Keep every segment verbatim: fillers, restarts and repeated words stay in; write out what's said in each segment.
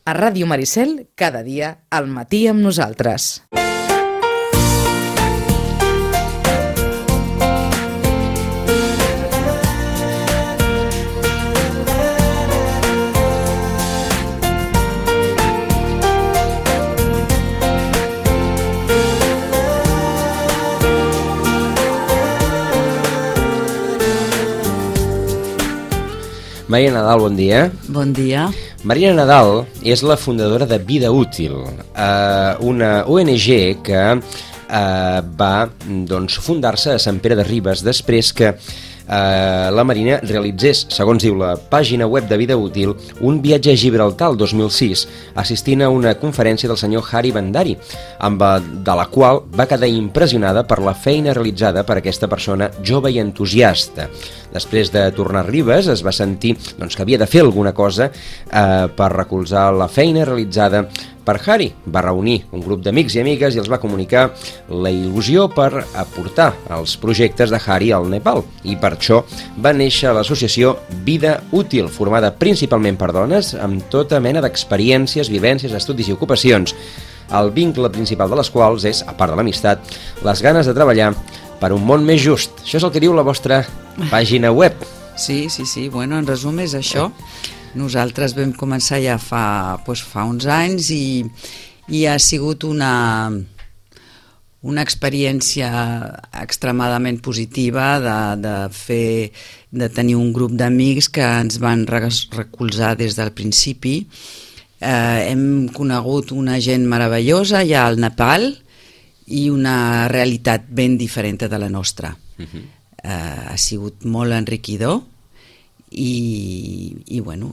A Ràdio Maricel, cada dia, al matí amb nosaltres. Maria Nadal, bon dia. Bon dia. Maria Nadal és la fundadora de Vida Útil, eh, una O N G que eh, va doncs, fundar-se a Sant Pere de Ribes després que eh, la Marina realitzés, segons diu la pàgina web de Vida Útil, un viatge a Gibraltar el dos mil sis, assistint a una conferència del senyor Hari Bandari, amb de la qual va quedar impressionada per la feina realitzada per aquesta persona jove i entusiasta. Després de tornar a Ribes es va sentir doncs, que havia de fer alguna cosa eh, per recolzar la feina realitzada per Hari. Va reunir un grup d'amics i amigues i els va comunicar la il·lusió per aportar els projectes de Hari al Nepal. I per això va néixer l'associació Vida Útil, formada principalment per dones amb tota mena d'experiències, vivències, estudis i ocupacions. El vincle principal de les quals és, a part de l'amistat, les ganes de treballar per un món més just. Això és el que diu la vostra pàgina web. Sí, sí, sí. Bueno, en resum és això. Nosaltres vam començar ja fa, doncs, fa uns anys i, i ha sigut una, una experiència extremadament positiva de, de, fer, de tenir un grup d'amics que ens van recolzar des del principi. Eh, hem conegut una gent meravellosa ja al Nepal i una realitat ben diferent de la nostra. Uh-huh. eh, ha sigut molt enriquidor i, i bueno,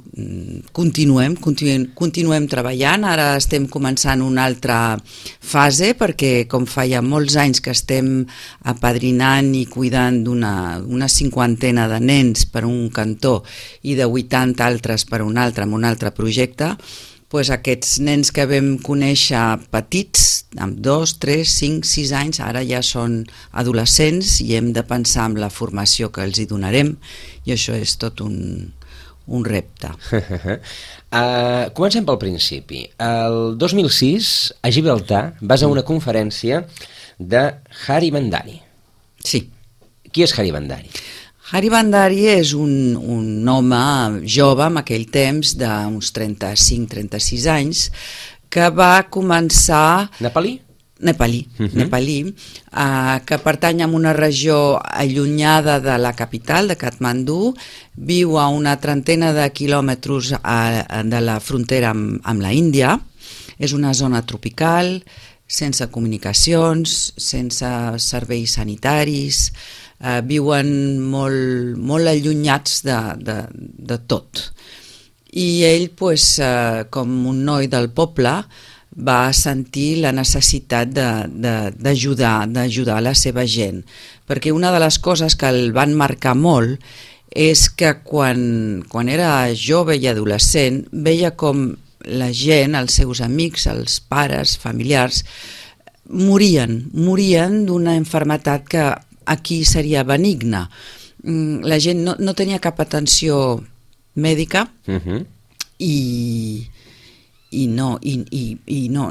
continuem, continuem, continuem treballant. Ara estem començant una altra fase perquè com fa ja molts anys que estem apadrinant i cuidant d'una una cinquantena de nens per un cantó i de vuitanta altres per un altre, amb un altre projecte, pues aquests nens que vam conèixer petits, amb dos, tres, cinc, sis anys, ara ja són adolescents i hem de pensar en la formació que els hi donarem i això és tot un, un repte. uh, comencem pel principi. El dos mil sis, a Gibraltar, vas a una conferència de Hari Bandari. Sí. Qui és Hari Bandari? Hari Bandari és un, un home jove en aquell temps d'uns trenta-cinc trenta-sis anys que va començar... Nepalí? Nepalí, uh-huh. Nepalí, eh, que pertany a una regió allunyada de la capital, de Katmandú, viu a una trentena de quilòmetres a, de la frontera amb, amb la Índia, és una zona tropical, sense comunicacions, sense serveis sanitaris, eh, viuen molt, molt allunyats de, de, de tot. I ell, pues, eh, com un noi del poble, va sentir la necessitat d'ajudar, d'ajudar la seva gent. Perquè una de les coses que el van marcar molt és que quan, quan era jove i adolescent veia com la gent, els seus amics, els pares, familiars, morien, morien d'una malaltia que aquí seria benigna. La gent no, no tenia cap atenció mèdica uh-huh. i, i, no, i, i, i no,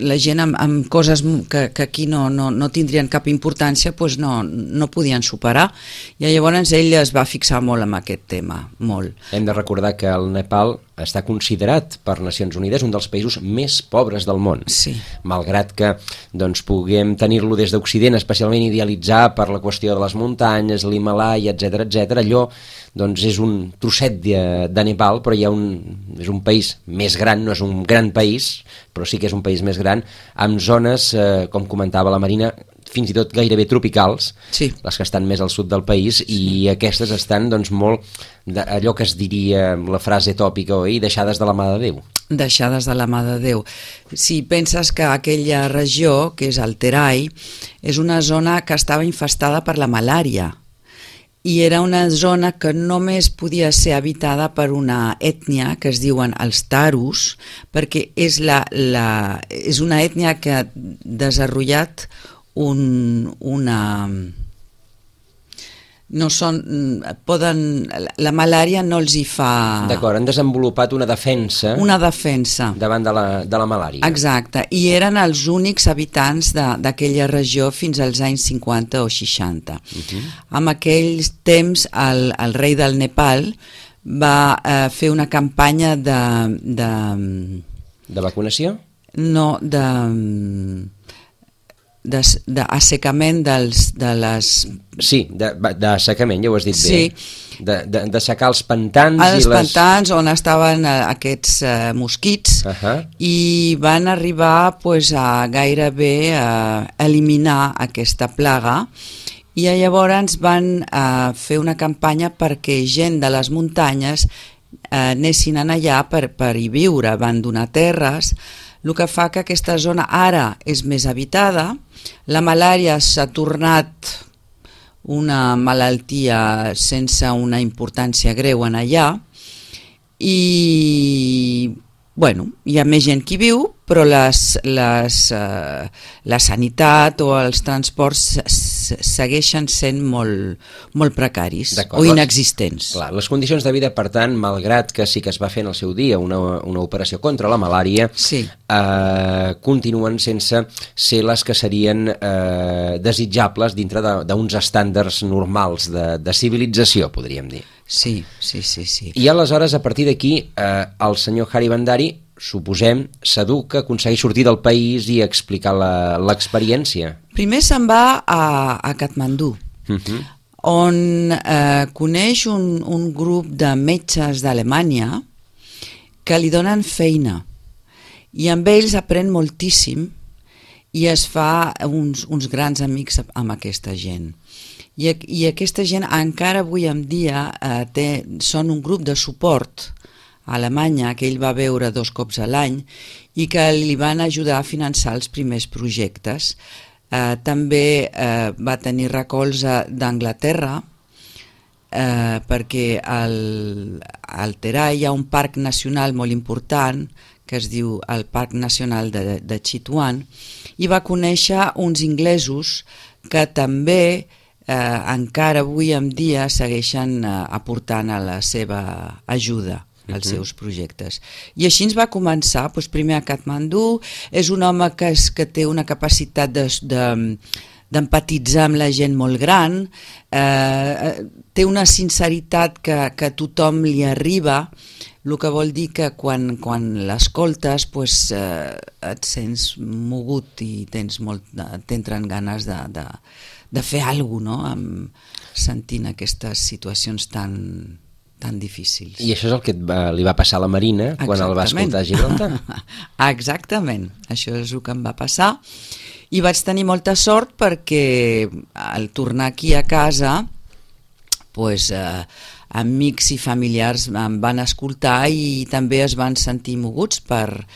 la gent amb, amb coses que, que aquí no, no, no tindrien cap importància pues no, no podien superar i llavors ell es va fixar molt en aquest tema, molt. Hem de recordar que el Nepal està considerat per Nacions Unides un dels països més pobres del món. Sí. Malgrat que doncs, puguem tenir-lo des d'Occident especialment idealitzar per la qüestió de les muntanyes, l'Himalaya, etcètera, etcètera, allò doncs, és un trosset de, de Nepal, però hi ha un, és un país més gran, no és un gran país, però sí que és un país més gran, amb zones, eh, com comentava la Marina, fins i tot gairebé tropicals, sí. Les que estan més al sud del país, sí. I aquestes estan doncs, molt, de, allò que es diria la frase tòpica, oi? Deixades de la mà de Déu. Deixades de la mà de Déu. Si penses que aquella regió, que és el Terai, és una zona que estava infestada per la malària, i era una zona que només podia ser habitada per una ètnia que es diuen els Tarus, perquè és, la, la, és una ètnia que ha desenvolupat un, una, no són, poden, la malària no els hi fa... D'acord, han desenvolupat una defensa... Una defensa. Davant de la, de la malària. Exacte, i eren els únics habitants d'aquella regió fins als anys cinquanta o seixanta. Uh-huh. En aquells temps el, el rei del Nepal va eh, fer una campanya de, de... De vacunació? No, de... d'assecament dels, de les... Sí, d'assecament, ja ho has dit sí. bé. De, de, de secar els pantans els i les... pantans on estaven eh, aquests eh, mosquits uh-huh. i van arribar pues, a gairebé a eliminar aquesta plaga i llavors van eh, fer una campanya perquè gent de les muntanyes eh, anessin allà per, per hi viure, van donar terres, el que fa que aquesta zona ara és més habitada, la malària s'ha tornat una malaltia sense una importància greu en allà i bueno, hi ha més gent que viu, però les, les, eh, la sanitat o els transports segueixen sent molt, molt precaris o inexistents. Clar, les condicions de vida, per tant, malgrat que sí que es va fer en el seu dia una, una operació contra la malària, sí. eh, continuen sense ser les que serien eh, desitjables dintre d'uns estàndards normals de, de civilització, podríem dir. Sí, sí, sí, sí. I aleshores, a partir d'aquí, eh, el senyor Hari Bhandari, suposem, s'educa, aconsegueix sortir del país i explicar l'experiència. Primer se'n va a, a Katmandú, uh-huh. on eh, coneix un, un grup de metges d'Alemanya que li donen feina i amb ells aprèn moltíssim i es fa uns, uns grans amics amb aquesta gent. I, i aquesta gent encara avui en dia eh, té, són un grup de suport a Alemanya que ell va veure dos cops a l'any i que li van ajudar a finançar els primers projectes. Eh, també eh, va tenir recolza d'Anglaterra eh, perquè al, al Terai hi ha un parc nacional molt important que es diu el Parc Nacional de, de Chitwan i va conèixer uns inglesos que també Eh, encara avui en dia segueixen eh, aportant a la seva ajuda als uh-huh. seus projectes. I així ens va començar, doncs primer a Katmandú, és un home que, és, que té una capacitat de, de, d'empatitzar amb la gent molt gran, eh, té una sinceritat que, que a tothom li arriba, el que vol dir que quan, quan l'escoltes pues, eh, et sents mogut i tens molt, t'entren ganes de, de, de fer alguna cosa, no? Amb, sentint aquestes situacions tan, tan difícils. I això és el que va, li va passar a la Marina quan Exactament. El va escoltar a Gibraltar? Exactament, això és el que em va passar. I vaig tenir molta sort perquè al tornar aquí a casa, pues, eh, amics i familiars em van escoltar i també es van sentir moguts per,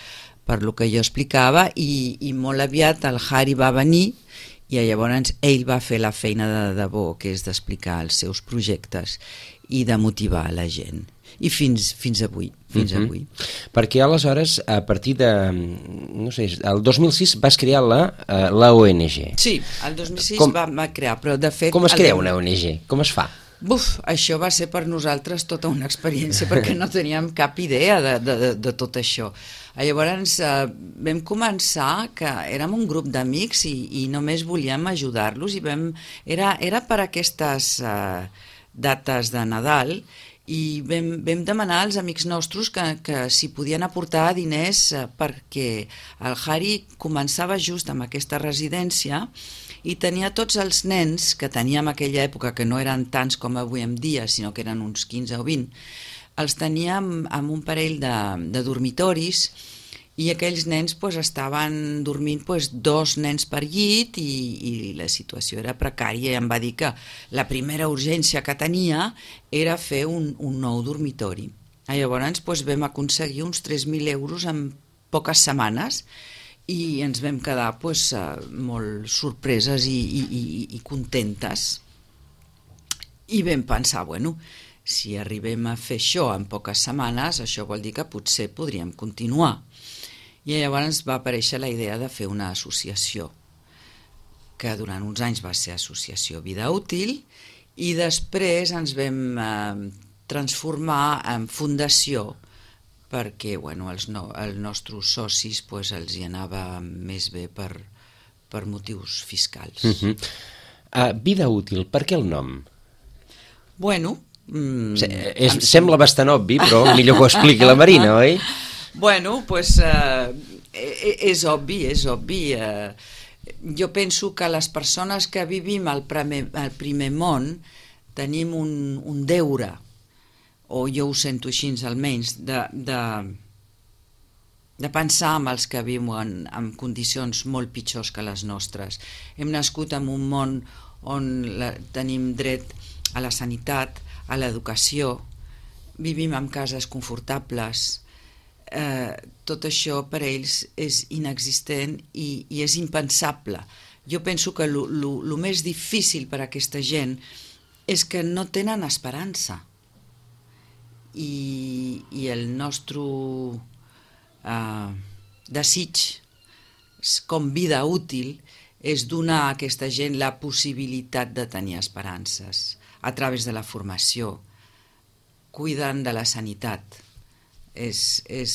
per el que jo explicava i, i molt aviat el Hari va venir i llavors ell va fer la feina de debò, que és d'explicar els seus projectes i de motivar la gent. I fins, fins avui. Fins uh-huh. avui. Perquè aleshores, a partir de... no sé, el dos mil sis vas crear la, uh, la O N G. Sí, el dos mil sis com, va, va crear, però de fet... Com es crea una O N G? Com es fa? Buf, això va ser per nosaltres tota una experiència perquè no teníem cap idea de, de, de, de tot això. Llavors eh, vam començar que érem un grup d'amics i, i només volíem ajudar-los i vam, era, era per aquestes eh, dates de Nadal i vam, vam demanar als amics nostres que, que si podien aportar diners eh, perquè el Hari començava just amb aquesta residència i tenia tots els nens que teníem en aquella època, que no eren tants com avui en dia, sinó que eren uns quinze o vint, els teníem en un parell de, de dormitoris i aquells nens pues, estaven dormint pues, dos nens per llit i, i la situació era precària i em va dir que la primera urgència que tenia era fer un, un nou dormitori. Llavors pues, vam aconseguir uns tres mil euros en poques setmanes i ens vam quedar pues, molt sorpreses i, i, i, i contentes i vam pensar, bueno, si arribem a fer això en poques setmanes, això vol dir que potser podríem continuar. I llavors va aparèixer la idea de fer una associació, que durant uns anys va ser Associació Vida Útil, i després ens vam eh, transformar en fundació perquè bueno, els, no, els nostres socis pues, els hi anava més bé per, per motius fiscals. Uh-huh. uh, Vida útil, per què el nom? Bueno... Mm, Se, és, em... Sembla bastant obvi, però millor que ho expliqui la Marina, oi? Bueno, doncs pues, eh, és obvi, és obvi. Eh, jo penso que les persones que vivim al primer, al primer món tenim un, un deure, o jo ho sento així almenys, de, de, de pensar en els que viuen en condicions molt pitjors que les nostres. Hem nascut en un món on la, tenim dret a la sanitat, a l'educació, vivim en cases confortables, eh, tot això per ells és inexistent i, i és impensable. Jo penso que el més difícil per a aquesta gent és que no tenen esperança. I, i el nostre eh, desig com vida útil és donar a aquesta gent la possibilitat de tenir esperances a través de la formació, cuidant de la sanitat. És, és,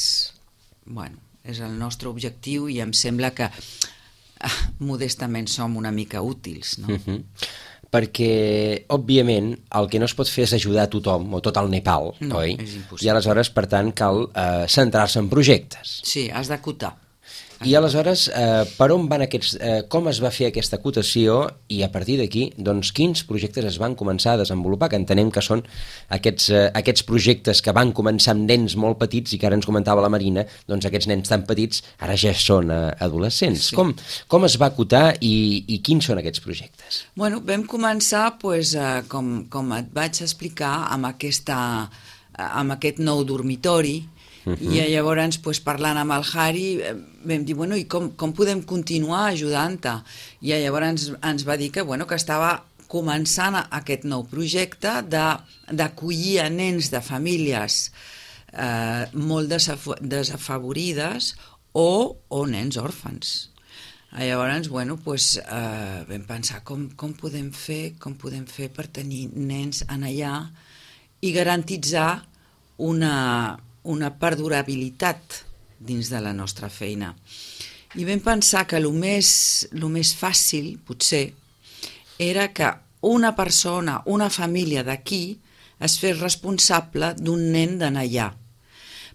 bueno, és el nostre objectiu i em sembla que ah, modestament som una mica útils, no? Uh-huh. Perquè, òbviament, el que no es pot fer és ajudar a tothom, o tot el Nepal, no, oi? És impossible. I aleshores, per tant, cal eh, centrar-se en projectes. Sí, has d'acotar. I aleshores, eh, per on van aquests, eh, com es va fer aquesta acotació i a partir d'aquí, doncs, quins projectes es van començar a desenvolupar, que entenem que són aquests, eh, aquests projectes que van començar amb nens molt petits i que ara ens comentava la Marina, doncs aquests nens tan petits ara ja són eh, adolescents. Sí. Com, com es va acotar i, i quins són aquests projectes? Bueno, vam començar, pues, eh, com, com et vaig explicar, amb, aquesta, amb aquest nou dormitori. Uh-huh. I llavors, pues, parlant amb el Harry, vam dir, bueno, i com, com podem continuar ajudant-te? I llavors ens, ens va dir que, bueno, que estava començant aquest nou projecte d'acollir a nens de famílies eh, molt desafavorides o, o nens òrfans. Llavors, bueno, pues, eh, vam pensar com, com podem fer, com podem fer per tenir nens en allà i garantitzar una... una perdurabilitat dins de la nostra feina. I vam pensar que el més, el més fàcil, potser, era que una persona, una família d'aquí, es fes responsable d'un nen d'anar allà.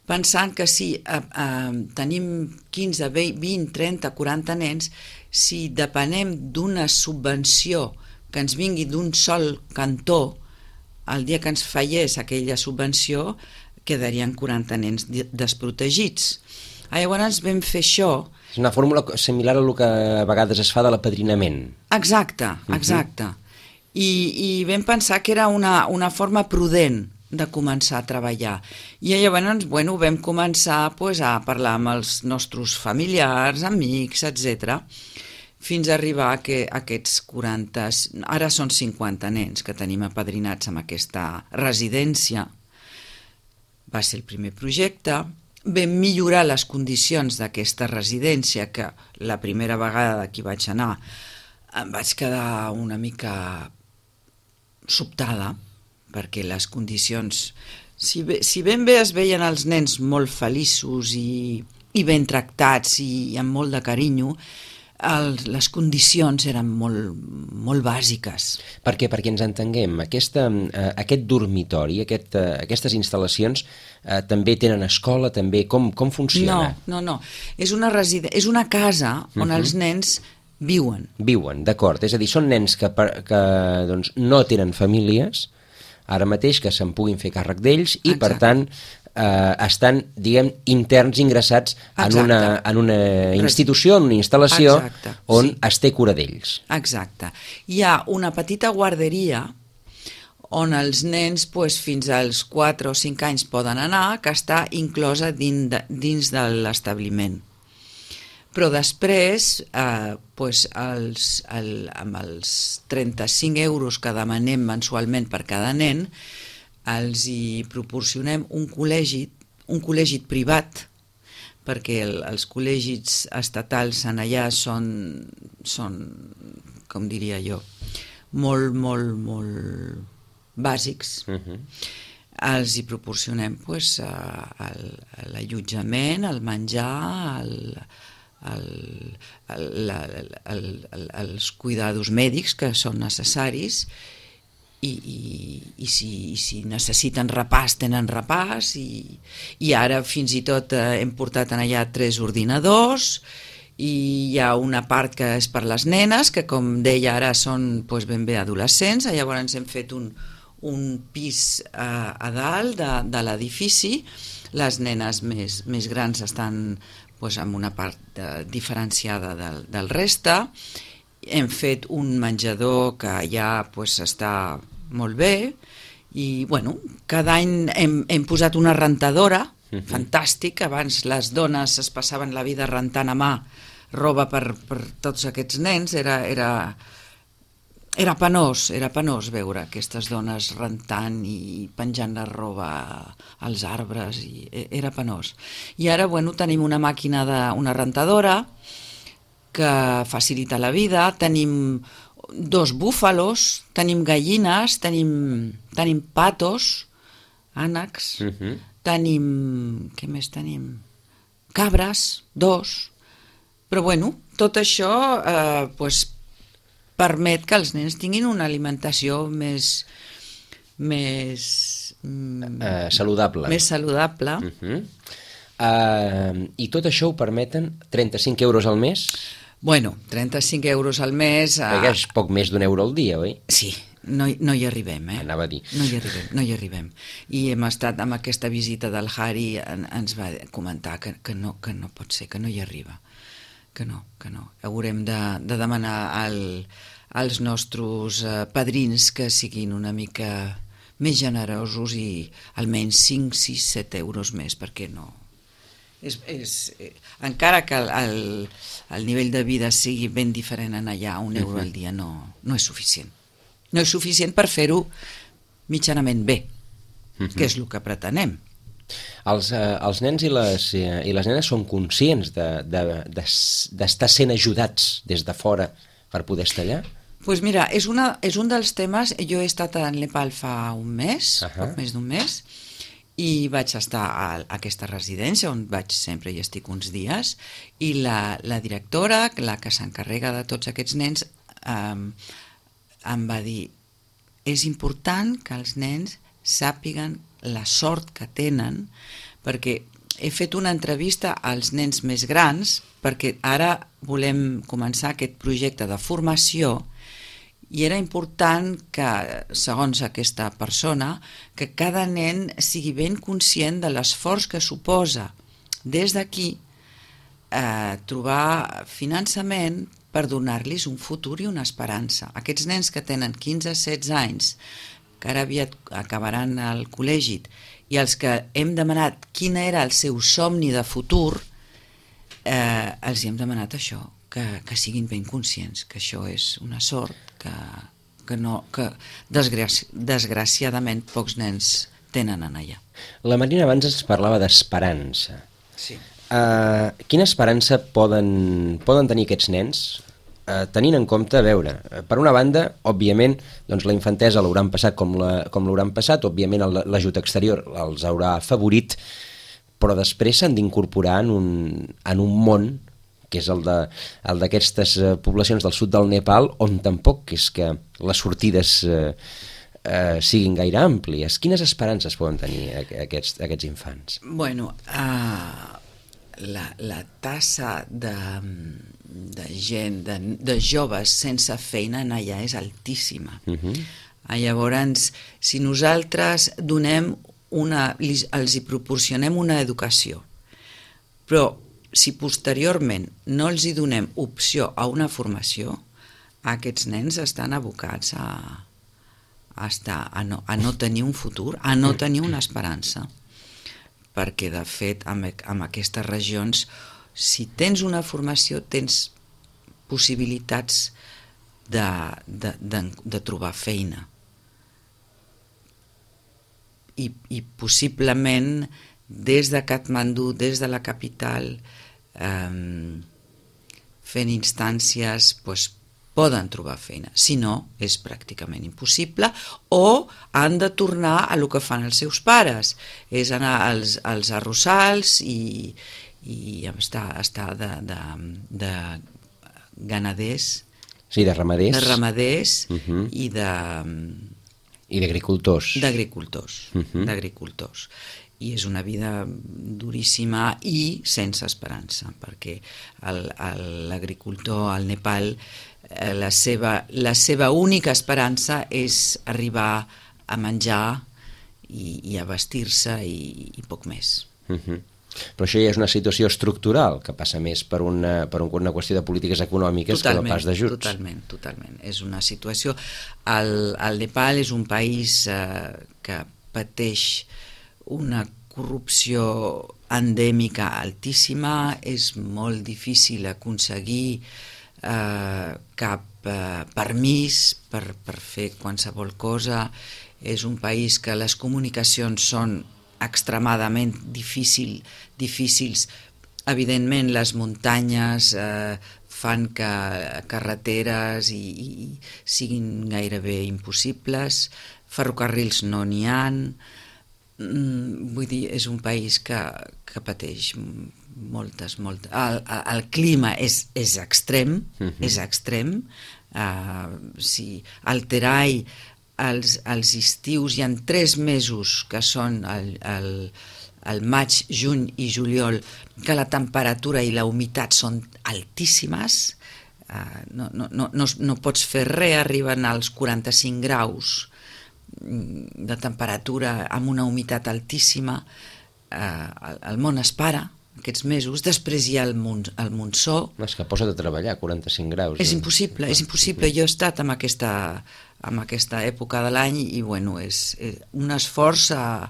Pensant que si eh, eh, tenim quinze, vint, trenta, quaranta nens, si depenem d'una subvenció que ens vingui d'un sol cantó, el dia que ens fallés aquella subvenció, quedarien quaranta nens desprotegits. Llavors vam fer això... És una fórmula similar a el que a vegades es fa de l'apadrinament. Exacte, exacte. Uh-huh. I, I vam pensar que era una, una forma prudent de començar a treballar. I llavors, bueno, vam començar pues, a parlar amb els nostres familiars, amics, etcètera, fins a arribar a que aquests quaranta... Ara són cinquanta nens que tenim apadrinats en aquesta residència. Va ser el primer projecte, vam millorar les condicions d'aquesta residència, que la primera vegada que hi vaig anar em vaig quedar una mica sobtada, perquè les condicions, si, bé, si ben bé es veien els nens molt feliços i, i ben tractats i, i amb molt de carinyo, El, les condicions eren molt, molt bàsiques. Per què? Perquè ens entenguem, aquesta, eh, aquest dormitori, aquest, eh, aquestes instal·lacions eh, també tenen escola, també com, com funciona? No, no, no. És una, residen... és una casa on uh-huh. els nens viuen. Viuen, d'acord. És a dir, són nens que, que doncs, no tenen famílies, ara mateix que se'n puguin fer càrrec d'ells i, Exacte. per tant, eh, estan, diguem, interns ingressats en una, en una institució, en una instal·lació Exacte. on sí. es té cura d'ells. Exacte. Hi ha una petita guarderia on els nens pues, fins als quatre o cinc anys poden anar, que està inclosa dins de, dins de l'establiment. Però després, eh, pues, els, el, amb els trenta-cinc euros que demanem mensualment per cada nen, els hi proporcionem un col·legi, un col·legi privat, perquè el, els col·legis estatals en allà són, són, com diria jo, molt, molt, molt bàsics. Uh-huh. Els hi proporcionem pues, l'allotjament, el menjar, el, el, el, la, el, el, els cuidados mèdics que són necessaris i, i, i, si, i si necessiten repàs tenen repàs i, i ara fins i tot eh, hem portat en allà tres ordinadors i hi ha una part que és per les nenes que com deia ara són pues, ben bé adolescents, llavors hem fet un un pis eh, a dalt de, de l'edifici. Les nenes més, més grans estan pues, en una part eh, diferenciada del, del reste. Hem fet un menjador que ja pues, està molt bé i bueno, cada any hem, hem posat una rentadora, uh-huh. fantàstic. Abans les dones es passaven la vida rentant a mà roba per, per tots aquests nens, era... era Era penós, era penós veure aquestes dones rentant i penjant la roba als arbres, i era penós. I ara, bueno, tenim una màquina, de, una rentadora que facilita la vida, tenim dos búfalos, tenim gallines, tenim, tenim patos, ànecs, uh-huh. tenim... què més tenim? Cabres, dos. Però, bueno, tot això, eh, pues, permet que els nens tinguin una alimentació més més uh, saludable. Més saludable. Uh-huh. uh, I tot això ho permeten trenta-cinc euros al mes? Bueno, trenta-cinc euros al mes... Uh... Perquè és poc més d'un euro al dia, oi? Sí, no, no hi arribem, eh? Anava a dir. No hi arribem, no hi arribem. I hem estat amb aquesta visita del Harry, en, ens va comentar que, que, no, que no pot ser, que no hi arriba. Que no, que no. Haurem de, de demanar al, als nostres eh, padrins que siguin una mica més generosos i almenys cinc, sis, set euros més, perquè no... És, és, eh, encara que el, el, el nivell de vida sigui ben diferent en allà, un euro al dia no, no és suficient. No és suficient per fer-ho mitjanament bé, uh-huh. que és el que pretenem. Els, eh, els nens i les, eh, i les nenes són conscients d'estar de, de, de, sent ajudats des de fora per poder estar allà? Doncs pues mira, és, una, és un dels temes. Jo he estat a Nepal fa un mes, uh-huh. poc més d'un mes, i vaig estar a, a aquesta residència on vaig sempre i estic uns dies, i la, la directora, la que s'encarrega de tots aquests nens, eh, em va dir: és important que els nens sàpiguen la sort que tenen, perquè he fet una entrevista als nens més grans, perquè ara volem començar aquest projecte de formació, i era important que, segons aquesta persona, que cada nen sigui ben conscient de l'esforç que suposa des d'aquí eh, trobar finançament per donar-los un futur i una esperança. Aquests nens que tenen quinze setze anys, que ara aviat acabaran al col·legi, i els que hem demanat quin era el seu somni de futur, eh, els hem demanat això, que, que siguin ben conscients, que això és una sort, que, que, no, que desgraci, desgraciadament pocs nens tenen en allà. La Marina abans ens parlava d'esperança. Sí. Uh, quina esperança poden, poden tenir aquests nens? Uh, tenint en compte, a veure, per una banda, òbviament, doncs la infantesa l'hauran passat com la, com l'hauran passat, òbviament l'ajut exterior els haurà afavorit, però després s'han d'incorporar en, un, en un món, que és el d'aquestes poblacions del sud del Nepal, on tampoc és que les sortides eh, eh, siguin gaire àmplies. Quines esperances poden tenir aquests, aquests infants? Bueno, uh, la, la tassa de... de gent, de, de joves sense feina en allà és altíssima. Uh-huh. Llavors, si nosaltres donem una, els hi proporcionem una educació, però si posteriorment no els hi donem opció a una formació, aquests nens estan abocats a, a, estar, a, no, a no tenir un futur, a no tenir una esperança. Perquè, de fet, amb, amb aquestes regions, si tens una formació, tens possibilitats de, de, de, de trobar feina. I, i possiblement des de Katmandú, des de la capital, eh, fent instàncies pues, poden trobar feina. Si no, és pràcticament impossible, o han de tornar a lo que fan els seus pares, és anar als, als arrossals i, i estar, estar de, de, de ganaders, sí, de ramaders, de ramaders uh -huh. i de... i d'agricultors. D'agricultors, uh -huh. d'agricultors. I és una vida duríssima i sense esperança, perquè l'agricultor al Nepal, eh, la, seva, la seva única esperança és arribar a menjar i, i a vestir-se i, i poc més. Uh -huh. Però això ja és una situació estructural, que passa més per una, per una qüestió de polítiques econòmiques totalment, que no pas d'ajuts. Totalment, totalment. És una situació... El, el Nepal és un país eh, que pateix una corrupció endèmica altíssima, és molt difícil aconseguir eh, cap eh, permís per, per fer qualsevol cosa, és un país que les comunicacions són extremadament difícil, difícils. Evidentment, les muntanyes eh, fan que carreteres i, i siguin gairebé impossibles, ferrocarrils no n'hi ha. Mm, vull dir, és un país que, que pateix moltes, moltes... El, el clima és, és extrem, uh-huh. és extrem. Uh, si al Terai els, els estius hi ha tres mesos que són el, el, el maig, juny i juliol, que la temperatura i la humitat són altíssimes, uh, no, no, no, no, no pots fer res, arriben als quaranta-cinc graus de temperatura amb una humitat altíssima, eh, el, el món es para aquests mesos, després hi ha el, mon, el monsó. És que posa't a treballar, quaranta-cinc graus. És impossible, és impossible. Jo he estat en aquesta, en aquesta època de l'any i bueno, és, és un esforç, a,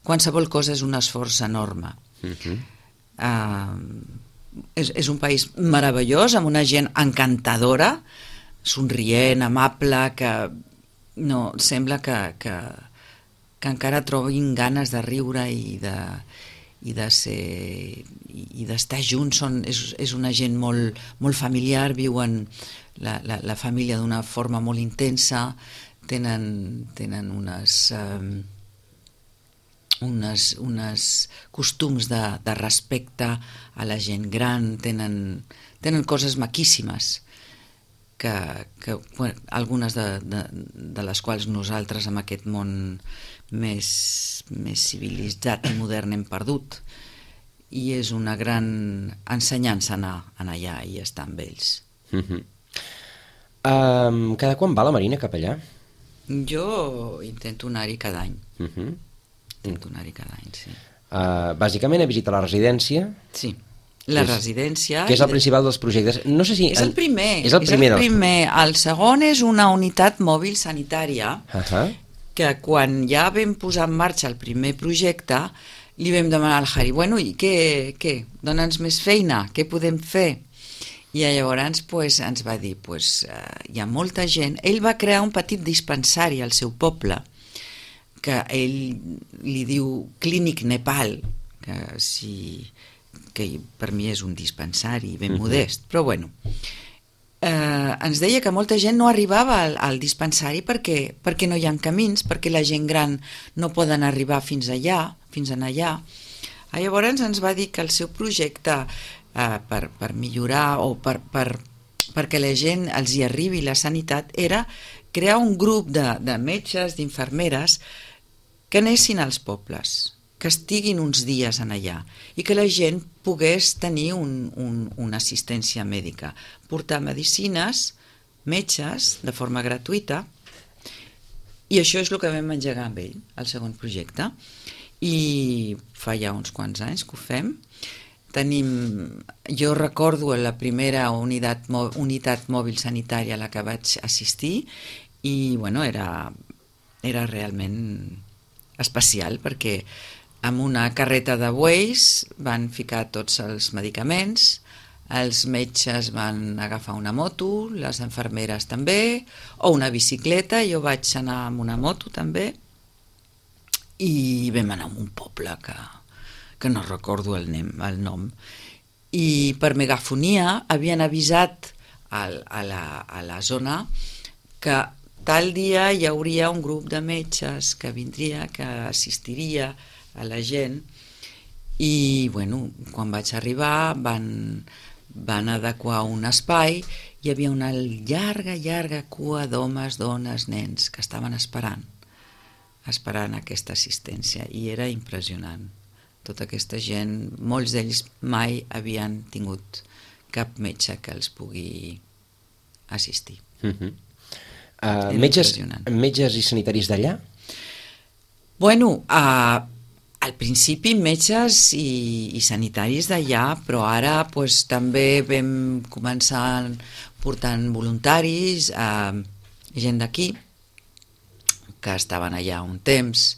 qualsevol cosa és un esforç enorme. Uh-huh. uh, és, és un país meravellós, amb una gent encantadora, somrient, amable, que no, sembla que, que, que encara trobin ganes de riure i de, i de ser i d'estar junts. Són, és, és una gent molt, molt familiar, viuen la, la, la família d'una forma molt intensa, tenen, tenen unes, um, unes, unes costums de, de respecte a la gent gran, tenen, tenen coses maquíssimes, que, que bueno, algunes de, de, de les quals nosaltres amb aquest món més, més civilitzat i modern hem perdut, i és una gran ensenyança anar, anar allà i estar amb ells. Uh-huh. um, Cada quan va la Marina cap allà? Jo intento anar-hi cada any. Uh-huh. Intento anar-hi cada any, sí. Uh, bàsicament a visitar la residència? Sí. La és, residència... Que és el principal dels projectes. No sé si... És el primer. És el primer. És el, primer. el segon és una unitat mòbil sanitària, uh-huh. que quan ja vam posar en marxa el primer projecte, li vam demanar al Harry, bueno, i què? què? Dóna'ns més feina, què podem fer? I llavors pues, ens va dir, pues, uh, hi ha molta gent... Ell va crear un petit dispensari al seu poble, que ell li diu Clínic Nepal, que si... que per mi és un dispensari ben uh-huh. modest, però bueno, eh, ens deia que molta gent no arribava al, al dispensari perquè, perquè no hi ha camins, perquè la gent gran no poden arribar fins allà, fins en allà. Llavors ens va dir que el seu projecte eh, per, per millorar o per, per, perquè la gent els hi arribi la sanitat era crear un grup de, de metges, d'infermeres que anessin als pobles, que estiguin uns dies en allà i que la gent pogués tenir un, un, una assistència mèdica, portar medicines, metges, de forma gratuïta, i això és el que vam engegar amb ell, el segon projecte, i fa ja uns quants anys que ho fem. Tenim, jo recordo la primera unitat, unitat mòbil sanitària a la que vaig assistir i bueno, era, era realment especial perquè amb una carreta de bueis van ficar tots els medicaments, els metges van agafar una moto, les infermeres també, o una bicicleta, jo vaig anar amb una moto també, i vam anar a un poble que, que no recordo el, nem, el nom, i per megafonia havien avisat a, a, la, a la zona que tal dia hi hauria un grup de metges que vindria, que assistiria a la gent i, bueno, quan vaig arribar van, van adequar un espai, hi havia una llarga, llarga cua d'homes, dones, nens que estaven esperant, esperant aquesta assistència i era impressionant. Tota aquesta gent, molts d'ells mai havien tingut cap metge que els pugui assistir. Uh-huh. Uh, metges, metges i sanitaris d'allà? Bueno, uh, al principi metges i, i sanitaris d'allà, però ara pues, també vam començar portant voluntaris, uh, gent d'aquí, que estaven allà un temps,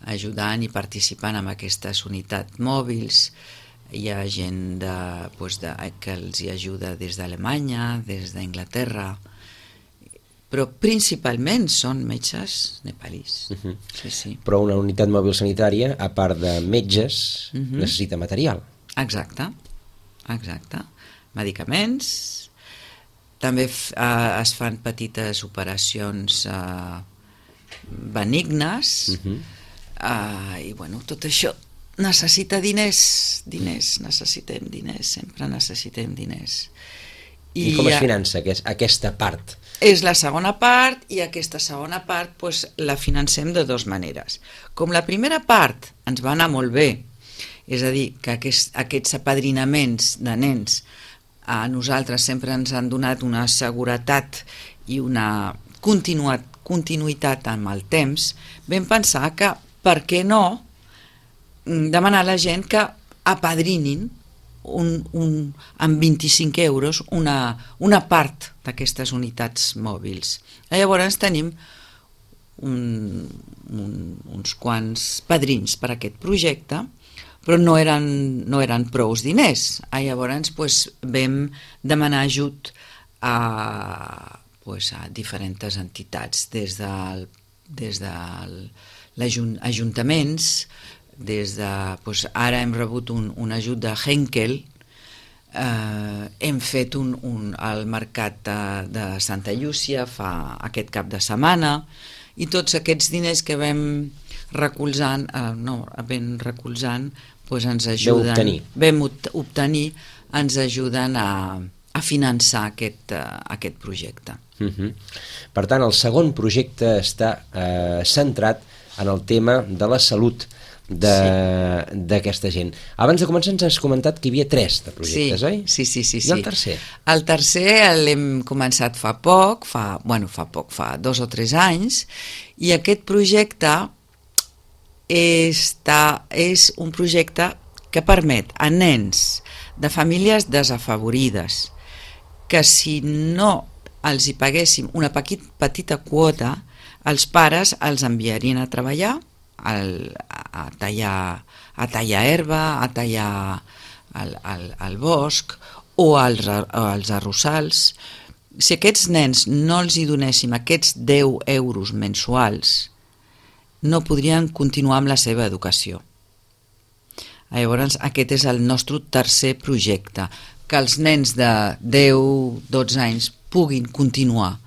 ajudant i participant en aquestes unitats mòbils. Hi ha gent de, pues de, que els hi ajuda des d'Alemanya, des d'Anglaterra, però principalment són metges nepalís. Uh-huh. Sí, sí. Però una unitat mòbil sanitària, a part de metges, uh-huh. necessita material. Exacte, exacte. Medicaments, també uh, es fan petites operacions uh, benignes, uh-huh. uh, i bueno, tot això necessita diners, diners, necessitem diners, sempre necessitem diners. I, I com es finança aquesta part? És la segona part i aquesta segona part pues, la financem de dues maneres. Com la primera part ens va anar molt bé, és a dir, que aquest, aquests apadrinaments de nens a nosaltres sempre ens han donat una seguretat i una continuat, continuïtat amb el temps, vam pensar que per què no demanar a la gent que apadrinin Un, un, amb vint-i-cinc euros una, una part d'aquestes unitats mòbils. Llavors tenim un, un, uns quants padrins per a aquest projecte, però no eren, no eren prous diners. Llavors pues, vam demanar ajut a, pues, a diferents entitats, des del, des del ajuntaments, des de, doncs ara hem rebut un, un ajut de Henkel, eh, hem fet un, un, el mercat de, de Santa Llúcia fa aquest cap de setmana i tots aquests diners que vam recolzant, eh, no, vam recolzant, doncs ens ajuden, obtenir. vam obtenir, ens ajuden a, a finançar aquest, uh, aquest projecte. Uh-huh. Per tant, el segon projecte està eh, centrat en el tema de la salut d'aquesta sí. gent. Abans de començar ens has comentat que hi havia tres de projectes, sí, oi? Sí, sí, sí. I el tercer? El tercer l'hem començat fa poc, fa, bueno, fa poc, fa dos o tres anys, i aquest projecte està, és un projecte que permet a nens de famílies desafavorides que si no els hi paguéssim una petita quota, els pares els enviarien a treballar Al, a, tallar, a tallar herba, a tallar el, el, el bosc o als, o als arrossals. Si aquests nens no els hi donéssim aquests deu euros mensuals, no podrien continuar amb la seva educació. Llavors, aquest és el nostre tercer projecte, que els nens de deu dotze anys puguin continuar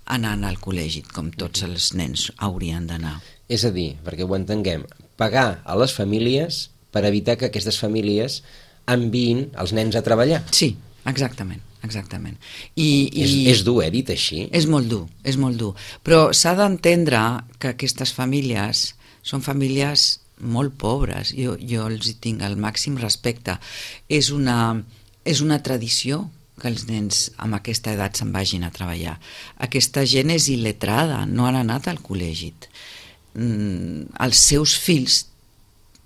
anant al col·legi, com tots els nens haurien d'anar. És a dir, perquè ho entenguem, pagar a les famílies per evitar que aquestes famílies enviïn els nens a treballar. Sí, exactament, exactament. I, i és, és dur, eh, dit així? És molt dur, és molt dur. Però s'ha d'entendre que aquestes famílies són famílies molt pobres. Jo, jo els tinc el màxim respecte. És una, és una tradició que els nens amb aquesta edat se'n vagin a treballar. Aquesta gent és il·letrada, no han anat al col·legi. Mm, els seus fills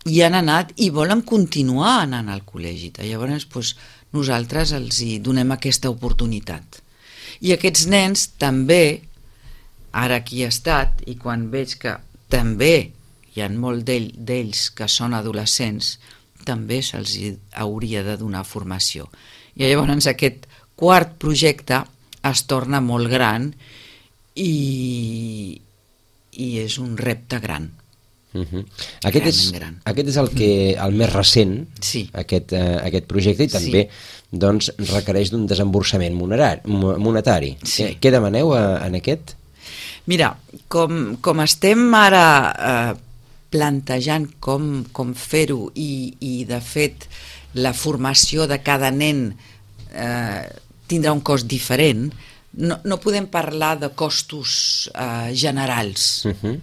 hi han anat i volen continuar anant al col·legi. Llavors doncs, nosaltres els hi donem aquesta oportunitat. I aquests nens també, ara aquí he estat, i quan veig que també hi ha molts d'ell, d'ells que són adolescents, també se'ls hauria de donar formació. I llavors aquest quart projecte es torna molt gran i... i és un repte gran, Uh -huh. aquest, és, aquest és el, que, el més recent, sí. aquest, uh, aquest projecte, i també sí. doncs, requereix d'un desemborsament monetari. Sí. Què, què demaneu a, en aquest? Mira, com, com estem ara eh, plantejant com, com fer-ho i, i de fet la formació de cada nen eh, tindrà un cost diferent, no, no podem parlar de costos eh, generals. Uh-huh.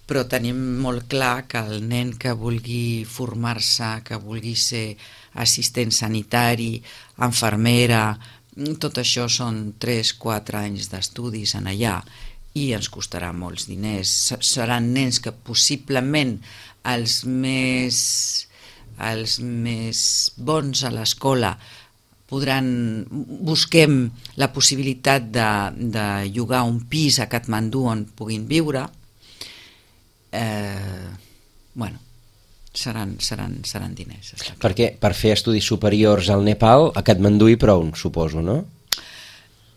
Però tenim molt clar que el nen que vulgui formar-se, que vulgui ser assistent sanitari, infermera, tot això són tres quatre anys d'estudis en allà i ens costarà molts diners. Seran nens que possiblement els més, els més bons a l'escola podran, busquem la possibilitat de, de llogar un pis a Katmandú on puguin viure. Eh, bueno, seran, seran, seran diners. Perquè per fer estudis superiors al Nepal, a Katmandú hi prou, suposo, no?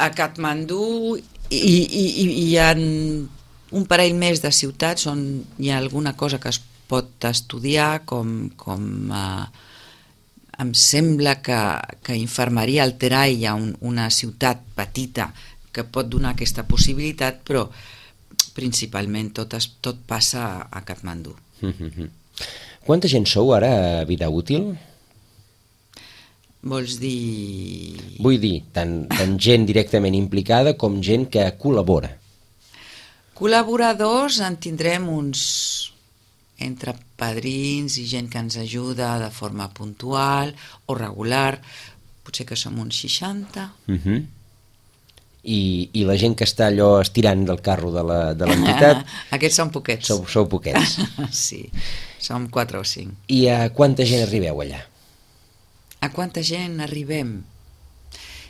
A Katmandú hi, hi, hi ha un parell més de ciutats on hi ha alguna cosa que es pot estudiar, com, com eh, em sembla que, que Infermeria al Terai hi ha un, una ciutat petita que pot donar aquesta possibilitat, però principalment tot, es, tot passa a Katmandú. Mm-hmm. Quanta gent sou ara a Vida Útil? Vols dir... Vull dir, tant, tant gent directament implicada com gent que col·labora. Col·laboradors en tindrem uns... entre padrins i gent que ens ajuda de forma puntual o regular, potser que som uns seixanta. Uh-huh. I, I la gent que està allò estirant del carro de l'entitat... Aquests són poquets. Sou, sou poquets. Sí, som quatre o cinc. I a quanta gent arribeu allà? A quanta gent arribem?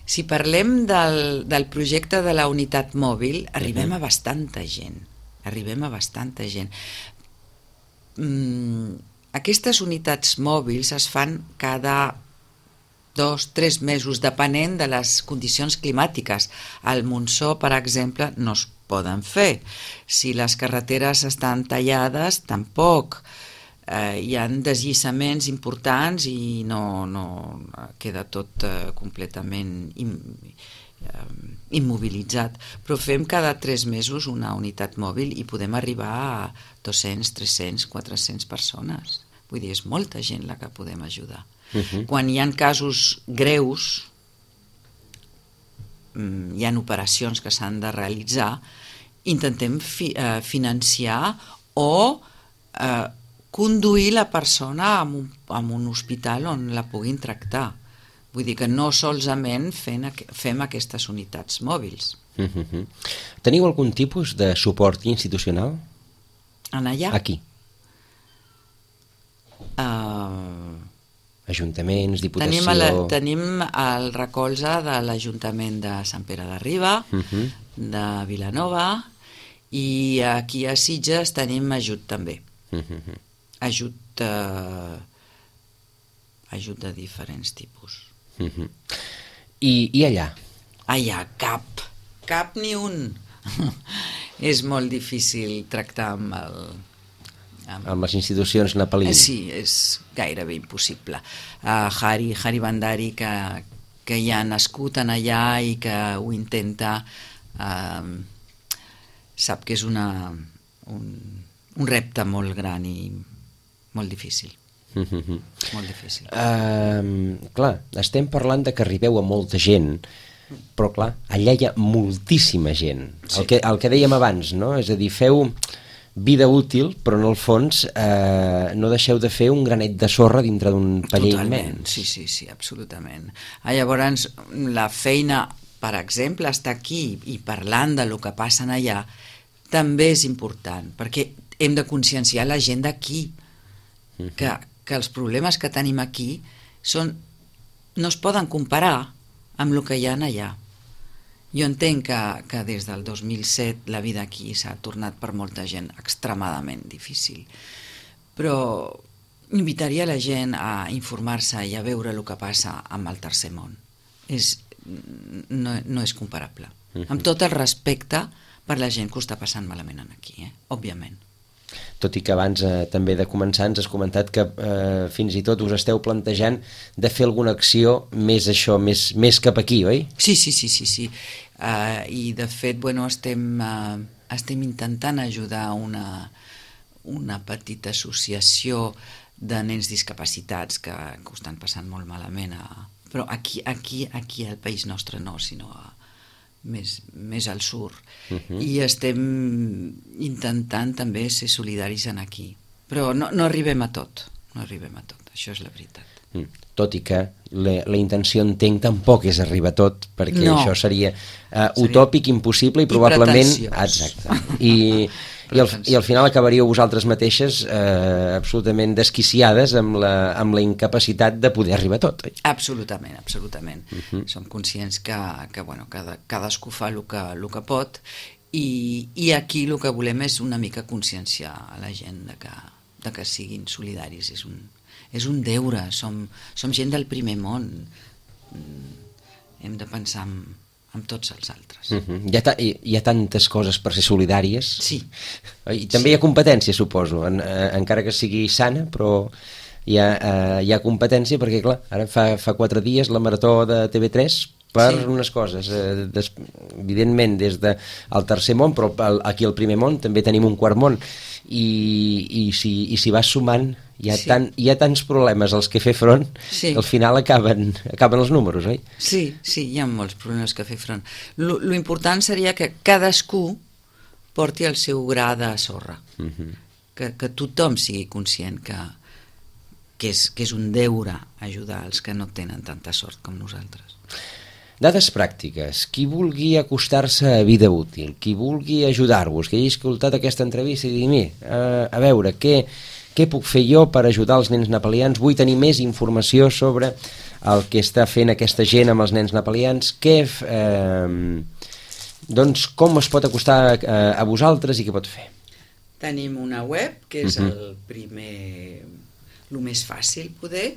Si parlem del, del projecte de la unitat mòbil, arribem uh-huh. a bastanta gent. Arribem a bastanta gent. Mm, aquestes unitats mòbils es fan cada dos, tres mesos, depenent de les condicions climàtiques. Al Montsó, per exemple, no es poden fer. Si les carreteres estan tallades, tampoc. Eh, hi ha desllissaments importants i no, no queda tot eh, completament im, eh, immobilitzat. Però fem cada tres mesos una unitat mòbil i podem arribar a dos-cents, tres-cents, quatre-cents persones. Vull dir, és molta gent la que podem ajudar. Uh-huh. Quan hi ha casos greus, hi ha operacions que s'han de realitzar, intentem fi, eh, financiar o eh, conduir la persona a un, a un hospital on la puguin tractar. Vull dir que no solament fem, fem aquestes unitats mòbils. Uh-huh. Teniu algun tipus de suport institucional? En allà? Aquí. Uh, Ajuntaments, diputació... Tenim, la, tenim el recolze de l'Ajuntament de Sant Pere de Riba, uh-huh. de Vilanova, i aquí a Sitges tenim ajut també. Uh-huh. Ajut, eh, ajut de diferents tipus. Uh-huh. I, I allà? Allà, cap, cap ni un. És molt difícil tractar amb el... Amb... amb les institucions nepalines. Sí, és gairebé impossible. Uh, Hari, Hari Bandari, que, que hi ha nascut en allà i que ho intenta, uh, sap que és una, un, un repte molt gran i molt difícil. Mm-hmm. Molt difícil. Uh, clar, estem parlant de que arribeu a molta gent, però clar, allà hi ha moltíssima gent. Sí. El, que, el que dèiem abans, no? És a dir, feu... vida útil, però en el fons eh, no deixeu de fer un granet de sorra dintre d'un paller immens. Sí, sí, sí, absolutament. Ah, llavors, la feina, per exemple, estar aquí i parlant de lo que passa allà, també és important, perquè hem de conscienciar la gent d'aquí, uh-huh. que, que els problemes que tenim aquí són, no es poden comparar amb el que hi ha allà. Jo entenc que, que des del dos mil set la vida aquí s'ha tornat per molta gent extremadament difícil, però invitaria la gent a informar-se i a veure el que passa amb el tercer món. És, no, no és comparable. Uh-huh. Amb tot el respecte per la gent que ho està passant malament aquí, eh? Òbviament. Tot i que abans eh, també de començar ens has comentat que eh, fins i tot us esteu plantejant de fer alguna acció més això, més, més cap aquí, oi? Sí, sí, sí, sí, sí. Uh, i de fet, bueno, estem, uh, estem intentant ajudar una, una petita associació de nens discapacitats que, que ho estan passant molt malament, a, però aquí, aquí, aquí al país nostre no, sinó a, més, més al sur. Uh-huh. I estem intentant també ser solidaris en aquí. Però no, no arribem a tot, no arribem a tot, això és la veritat. Mm. Tot i que la, la intenció, entenc, tampoc és arribar a tot, perquè no. això seria uh, utòpic, impossible i probablement... I exacte. I, i, al, I al final acabaríeu vosaltres mateixes eh, absolutament desquiciades amb la, amb la incapacitat de poder arribar a tot. Oi? Absolutament, absolutament. Uh-huh. Som conscients que, que bueno, cada, cadascú fa el que, el que pot i, i aquí el que volem és una mica conscienciar a la gent de que, de que siguin solidaris. És un, és un deure, som, som gent del primer món. Hem de pensar en amb tots els altres. Uh-huh. Hi, ha ta hi, hi ha tantes coses per ser solidàries. Sí. I també sí. Hi ha competència, suposo, en, eh, encara que sigui sana, però hi ha, eh, hi ha competència perquè, clar, ara fa, fa quatre dies la marató de T V tres per sí. unes coses. Eh, des, evidentment, des del de, tercer món, però el, aquí al primer món també tenim un quart món. I, i, si, i si vas sumant hi ha, sí. tant, hi ha tants problemes als que fer front sí. que al final acaben, acaben els números, oi? Sí, sí, hi ha molts problemes que fer front. Lo, lo important seria que cadascú porti el seu gra de sorra, uh-huh. que, que tothom sigui conscient que, que, és, que és un deure ajudar els que no tenen tanta sort com nosaltres. Dades pràctiques. Qui vulgui acostar-se a Vida Útil, qui vulgui ajudar-vos, que hagi escoltat aquesta entrevista i digui, a, a veure, què, què puc fer jo per ajudar els nens nepalians? Vull tenir més informació sobre el que està fent aquesta gent amb els nens nepalians. Què, eh, doncs, com es pot acostar a, a vosaltres i què pot fer? Tenim una web, que és uh-huh. el primer, el més fàcil poder,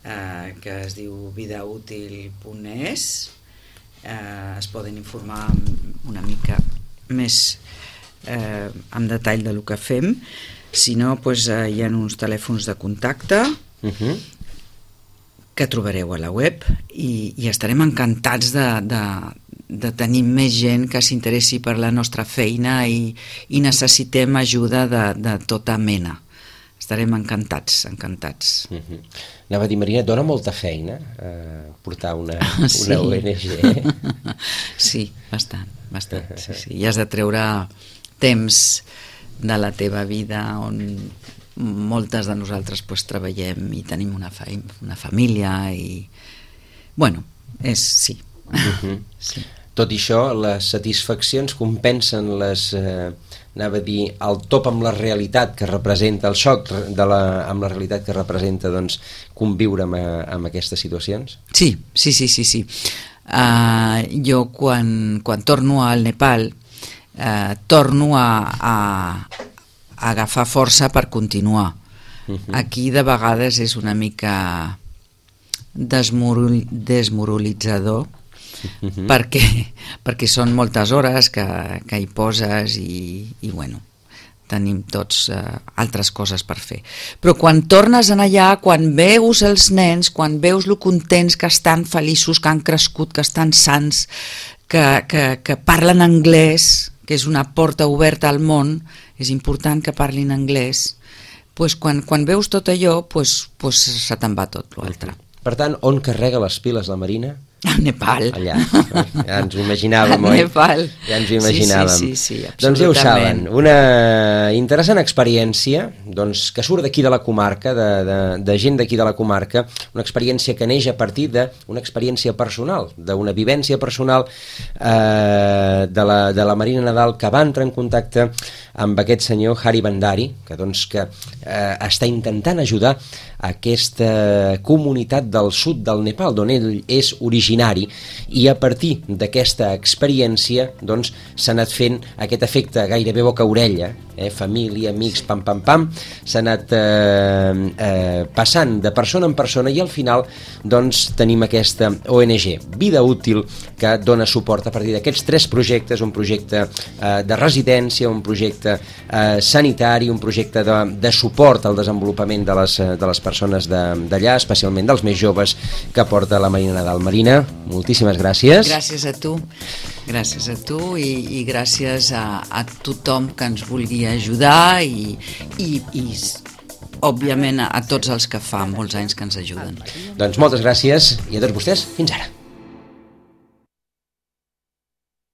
Uh, que es diu vidautil punt es. Uh, es poden informar una mica més uh, en detall de lo que fem. Si no, pues, uh, hi ha uns telèfons de contacte uh-huh. que trobareu a la web i, i estarem encantats de, de, de tenir més gent que s'interessi per la nostra feina i, i necessitem ajuda de, de tota mena. Estarem encantats, encantats. Uh-huh. Anava a dir, Marina, dona molta feina eh, portar una, sí. una O N G. Sí, bastant, bastant. Sí, sí. I has de treure temps de la teva vida on moltes de nosaltres pues, treballem i tenim una, fa una família i... Bueno, és... sí. Uh-huh. Sí. Tot i això, les satisfaccions compensen les... Eh, anava a dir, el top amb la realitat que representa, el xoc de la, amb la realitat que representa doncs, conviure amb, amb aquestes situacions? Sí, sí, sí, sí, sí. Uh, jo quan, quan torno al Nepal uh, torno a, a, a agafar força per continuar. Uh-huh. Aquí de vegades és una mica desmorul, desmoralitzador, Uh-huh. perquè, perquè són moltes hores que, que hi poses i, i bueno, tenim tots uh, altres coses per fer. Però quan tornes en allà, quan veus els nens, quan veus lo contents que estan feliços, que han crescut, que estan sans, que, que, que parlen anglès, que és una porta oberta al món, és important que parlin anglès, pues quan, quan veus tot allò, pues, pues se te'n va tot l'altre. Per tant, on carrega les piles la Marina? A Nepal. Allà, ja ens ho imaginàvem, oi? Nepal. Ja ens ho imaginàvem. Sí, sí, sí, sí, doncs ja ho saben, una interessant experiència doncs, que surt d'aquí de la comarca, de, de, de gent d'aquí de la comarca, una experiència que neix a partir d'una experiència personal, d'una vivència personal eh, de, la, de la Marina Nadal, que va entrar en contacte amb aquest senyor Hari Bandari, que, doncs, que eh, està intentant ajudar aquesta comunitat del sud del Nepal, d'on ell és originari, i a partir d'aquesta experiència doncs, s'ha anat fent aquest efecte gairebé boca-orella, eh, família, amics, pam, pam, pam, s'ha anat eh, eh, passant de persona en persona i al final doncs tenim aquesta O N G, Vida Útil, que dona suport a partir d'aquests tres projectes, un projecte eh, de residència, un projecte eh, sanitari, un projecte de, de suport al desenvolupament de les, de les persones d'allà, especialment dels més joves, que porta la Marina Nadal. Marina, moltíssimes gràcies. Gràcies a tu, gràcies a tu i, i gràcies a, a tothom que ens vulgui ajudar i, i, i òbviament a tots els que fa molts anys que ens ajuden. Doncs moltes gràcies i a tots vostès, fins ara.